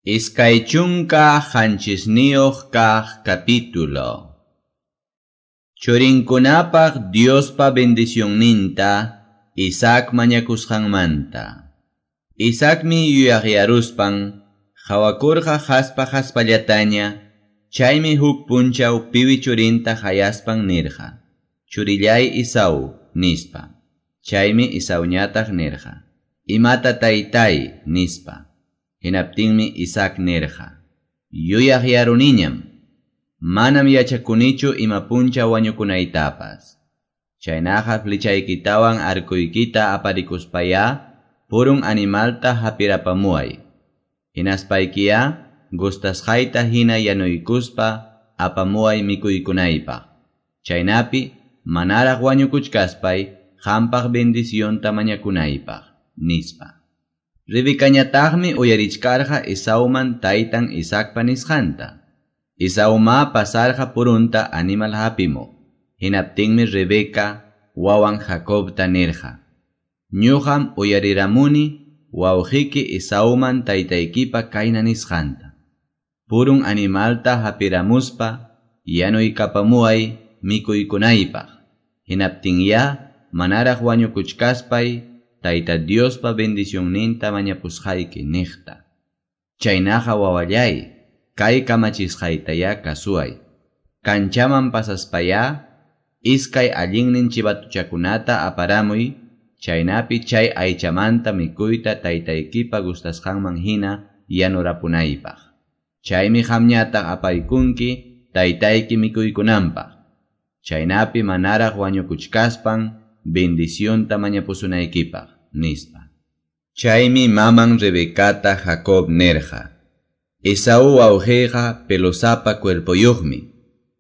27 kaq capítulo. Churinkunapaq Diospa bendicionninta Isaac mañakusqanmanta. Isaacmi yuyaqyaruspan hawakurqa haspa haspallataña, chaymi huk punchaw piwi churinta hayaspan nirqa: "Churillay Esau", nispa. Chaymi Esauñataq nirqa: "Imata taytay", nispa. Hinaptinmi Isaac nirqa: "Yuyaqyaruniñam, manam yachakunichu ima punchaw wañukunaytapas. Chaynaqa flechaykitawan arcoykita aparikuspayá purun animalta hapirapamuway. Hinaspaykiyá gustasqayta hina yanuykuspa apamuway mikuykunaypaq. Chaynapi manaraq wañukuchkaspay qampaq bendicionta mañakunaypaq", nispa. Rebecañataqmi uyarichkarqa Esauman taytan Isaacpa nisqanta. Esauma pasarqa purunta animal hapimuq. Hinaptinmi Rebeca wawan Jacobta nirqa: "Ñuqam uyariramuni wawqiyki Esauman taytaykipa kayna nisqanta: Purun animalta hapiramuspa yanuykapamuway mikuykunaypaq. Hinaptinyá manaraq wañukuchkaspay Tayta Diospa bendicionninta mañapusqayki niqta. Chaynaqa wawallay, kay kamachisqaytayá kasuway. Kanchaman pasaspayá iskay allinnin chivatuchakunata aparamuy, chaynapi chay aychamanta mikuyta taytaykipa gustasqanman hina yanurapunaypaq. Chaymi qamñataq apaykunki taytayki mikuykunanpaq. Chaynapi manaraq wañukuchkaspan bendicionta mañapusunaykipaq", nispa. Chaymi maman Rebecata Jacob nirqa: "Esaú wawqiyqa pelosapa cuerpoyuqmi.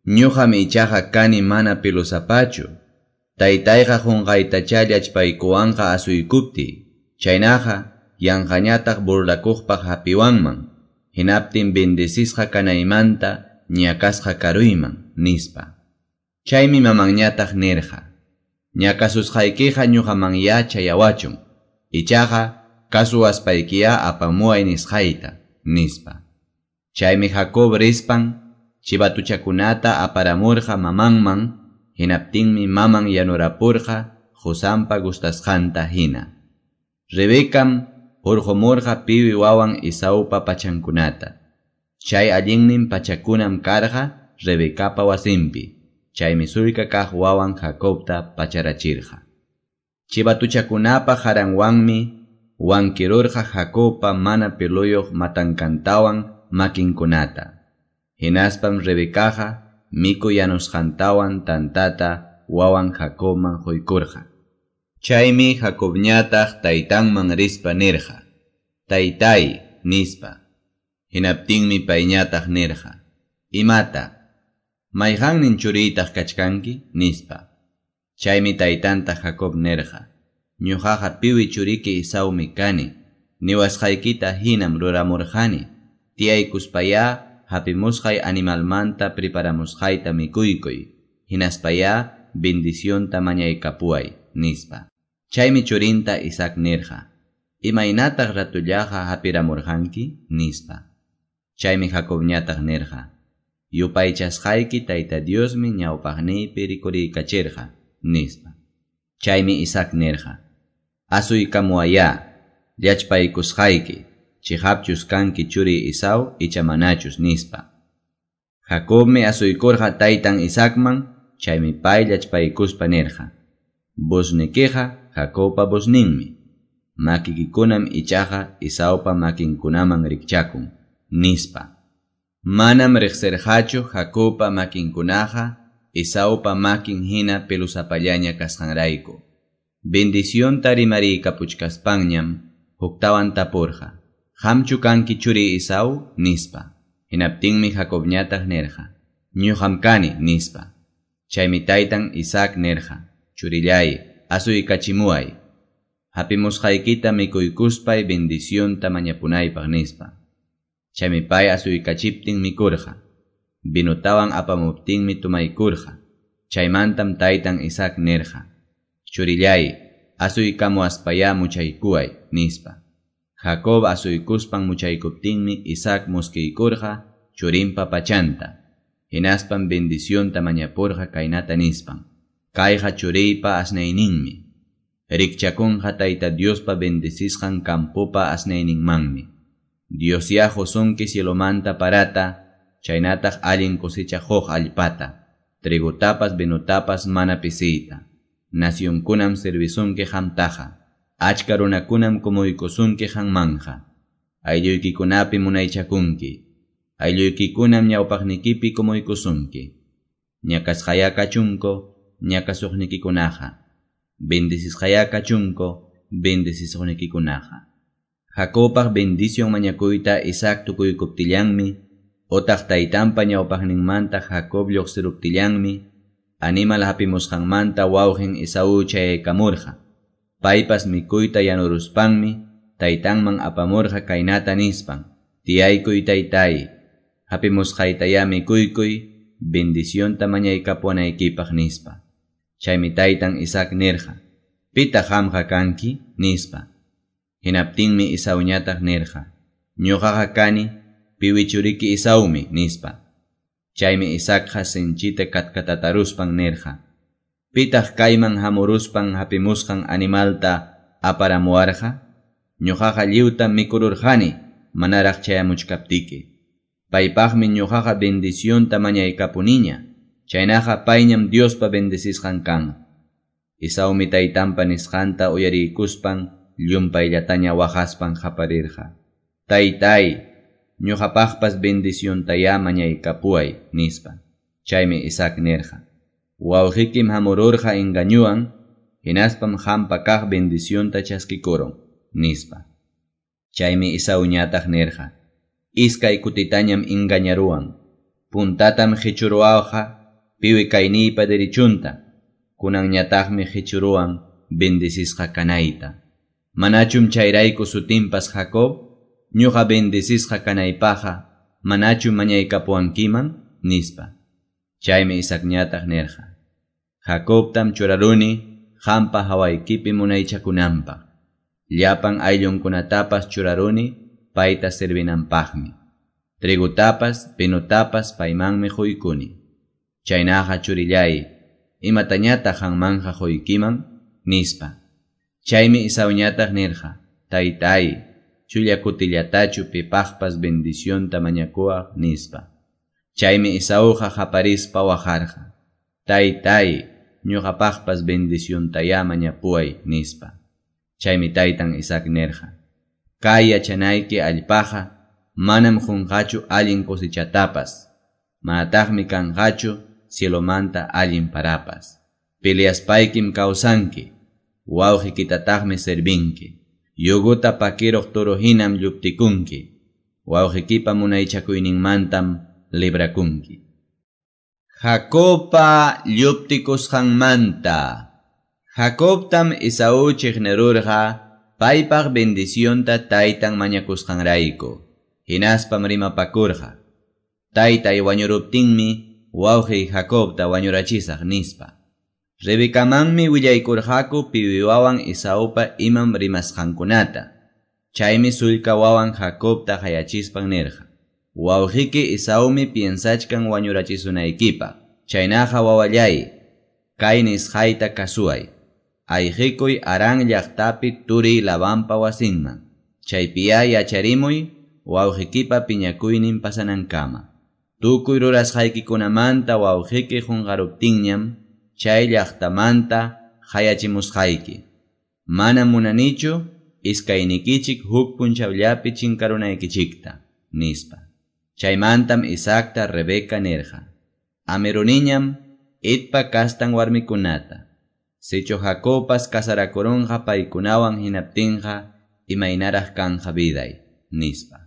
Ñuqam ichaqa kani mana pelosapachu. Taytayqa qunqaytachá llachpaykuwanqa asuykuptiy. Chaynaqa yanqañataq burlakuqpaq hapiwanman. Hinaptin bendecisqa kanaymanta ñakasqa karuyman", nispa. Chaymi mamanñataq nirqa: "Ñakasusqaykiqa ñuqamanyá chayawachun. Ichaqa kasuwaspaykiyá apamuway nisqayta", nispa. Chaymi Jacob rispan chivatuchakunata aparamurqa mamanman, hinaptinmi maman yanurapurqa qusanpa gustasqanta hina. Rebecam hurqumurqa piwi wawan Esaupa pachankunata. Chay allinnin pachakunam karqa Rebecapa wasinpi. Chaymi sullka kaq wawan Jacobta pacharachirqa. Chivatuchakunapa qaranwanmi wankirurqa Jacobpa mana peluyuq matankantawan makinkunata. Hinaspam Rebecaqa mikuy yanusqantawan tantata wawan Jacobman quykurqa. Chaymi Jacobñataq taytanman rispa nirqa: "Taytay", nispa. Hinaptinmi payñataq nirqa: "Imata? Mayqannin churiytaq kachkanki?" nispa. Chaymi taytanta Jacob nirqa: "Ñuqaqa piwi churiki Esaumi kani. Niwasqaykita hinam ruramurqani. Tiyaykuspayá hapimusqay animalmanta preparamusqayta mikuykuy. Hinaspayá bendicionta mañaykapuway", nispa. Chaymi churinta Isaac nirqa: "Imaynataq ratullaqa hapiramurqanki?" nispa. Chaymi Jacobñataq nirqa: "Yupaychasqayki Tayta Diosmi ñawpaqniypi rikuriykachirqa", nispa. Chaymi Isaac nirqa: "Asuykamuwayá, llachpaykusqayki, chiqapchus kanki churiy Esau icha manachus", nispa. Jacobmi asuykurqa taytan Isaacman, chaymi pay llachpaykuspa nirqa: "Voznikiqa Jacobpa vozninmi, makikikunam ichaqa Esaupa makinkunaman rikchakun", nispa. Manam riqsirqachu Jacobpa makinkunaqa Esaupa makin hina pelusapallaña kasqanrayku. Bendicionta rimariykapuchkaspanñam huktawan tapurqa: "Qamchu kanki churiy Esau?" nispa. Hinaptinmi Jacobñataq nirqa: "Ñuqam kani", nispa. Chaymi taytan Isaac nirqa: "Churillay, asuykachimuway. Hapimusqaykita mikuykuspay bendicionta mañapunaypaq", nispa. Chaymi pay asuykachiptin mikurqa. Vinotawan apamuptinmi tumaykurqa. Chaymantam taytan Isaac nirqa: "Churillay, asuykamuwaspayá muchaykuway", nispa. Jacob asuykuspan muchaykuptinmi Isaac muskiykurqa churinpa pachanta. Hinaspam bendicionta mañapurqa kaynata nispan: Kayqa churiypa asnayninmi. Rikchakunqa Tayta Diospa bendecisqan campopa asnayninmanmi. Diosyá qusunki cielomanta parata, chaynataq allin cosecha quq allpata, trigotapas vinotapas mana pisiyta. Nacionkunam servisunki qamtaqa, achka runakunam kumuykusunki qanmanja. Aylluykikunapi munaychakunki, aylluykikunam ñawpaqnikipi kumuykusunki. Ñakasqayá kachunku ñakasuqnikikunaqa, bendecisqayá kachunku bendecisuqnikikunaqa. Jacobpaq bendición mañakuyta Isaac tukuykuptillanmi, otaq taytanpa ñawpaqninmanta Jacob lluqsiruptillanmi, animal hapimusqanmanta wawqin Esaú chayaykamurqa. Paypas mikuyta yanuruspanmi, taytanman apamurqa kaynata nispan: Tiyaykuy taytay, hapimusqaytayá mikuykuy, bendicionta mañaykapuwanaykipaq nispa. Chaymi taytan Isaac nirqa: Pitaq qamqa kanki? Nispa. Hinaptinmi Esauñataq nirqa: Ñuqaqa kani piwi churiki Esaumi, nispa. Chaymi Isaacqa sinchita katkatataruspan nirqa: Pitaq kayman hamuruspan hapimusqan animalta aparamuwarqa? Ñuqaqa lliwtam mikururqani manaraq chayamuchkaptiki. Paypaqmi ñuqaqa bendicionta mañaykapuniña, chaynaqa payñam Diospa bendecisqan kanqa. Esaumi taytanpa nisqanta uyariykuspan llumpayllataña waqaspan qaparirqa: Taytay, ñuqapaqpas bendiciontayá mañaykapuway, nispa. Chaymi Isaac nirqa: Wawqikim hamururqa engañuwan, hinaspam qampa kaq bendicionta chaskikurun, nispa. Chaymi Esauñataq nirqa: Iskay kutitañam engañaruwan. Puntatam qichuruwawqa piwi kayniypa derechunta, kunanñataqmi qichuruwan bendecisqa kanayta. Manachum chayrayku sutinpas Jacob? Ñuqa bendecisqa kanaypaqqa manachum mañaykapuwankiman? Nispa. Chaymi Isaacñataq nirqa: Jacobtam churaruni qampa hawaykipi munaychakunanpaq. Llapan ayllunkunatapas churaruni payta servinanpaqmi. Trigotapas, vinotapas paymanmi quykuni. Chaynaqa churillay, imatañataq qanmanja quykiman? Nispa. Chaymi Esauñataq nirqa: Taytay, chulla kutillatachu pipaqpas bendicionta mañakuwaq, nispa. Chaymi Esauqa qaparispa waqarqa: Taytay, ñuqapaqpas bendiciontayá mañapuway, nispa. Chaymi taytan Isaac nirqa: Kay yachanayki allpaqa manam qunqachu allin cosechatapas, manataqmi kanqachu cielomanta allin parapas. Peleaspaykim kawsanki, wawqikitataqmi servinki. Yuguta pakiruq toro hinam lluptikunki, wawqikipa munaychakuyninmantam librakunki. Jacobpa lluptikusqanmanta. Jacobtam Esaú chiqnirurqa paypaq bendicionta taytan mañakusqanrayku. Hinaspam rimapakurqa: Taytay wañuruptinmi wawqiy Jacobta wañurachisaq, nispa. Rebecamanmi willaykurqaku piwi wawan Esaupa imam rimasqankunata. Chaymi sullka wawan Jacobta qayachispan nirqa: Wawqiki Esaumi piensachkan wañurachisunaykipaq. Chaynaqa wawallay, kay nisqayta kasuway. Ayqikuy Harán llaqtapi turiy Labanpa wasinman. Chaypiyá yacharimuy wawqikipa piñakuynin pasanankama. Tukuy rurasqaykikunamanta wawqiki qunqaruptinñam chay llaqtamanta qayachimusqayki. Manam munanichu iskaynikichik huk punchawllapi chinkarunaykichikta, nispa. Chaymantam Isaacta Rebeca nirqa: Amiruniñam Hetpa kastan warmikunata. Sichu Jacobpas casarakurunqa paykunawan hinaptinqa imaynaraq kanja viday, nispa.